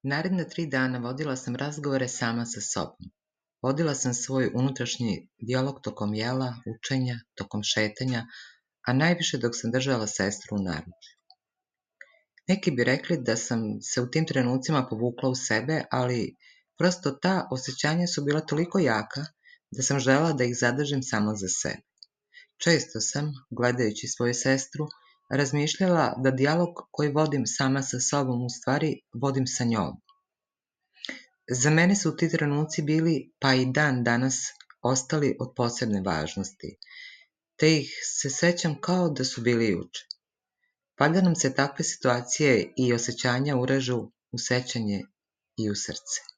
Naredna 3 dana vodila sam razgovore sama sa sobom. Vodila sam svoj unutrašnji dijalog tokom jela, učenja, tokom šetanja, a najviše dok sam držala sestru u naručju. Neki bi rekli da sam se u tim trenucima povukla u sebe, ali prosto ta osjećanja su bila toliko jaka da sam želela da ih zadržim samo za sebe. Često sam, gledajući svoju sestru, razmišljala da dijalog koji vodim sama sa sobom u stvari vodim sa njom. Za mene su ti trenuci bili, pa i dan danas, ostali od posebne važnosti, te ih se sećam kao da su bili juče. Valjda nam se takve situacije i osjećanja urežu u sećanje i u srce.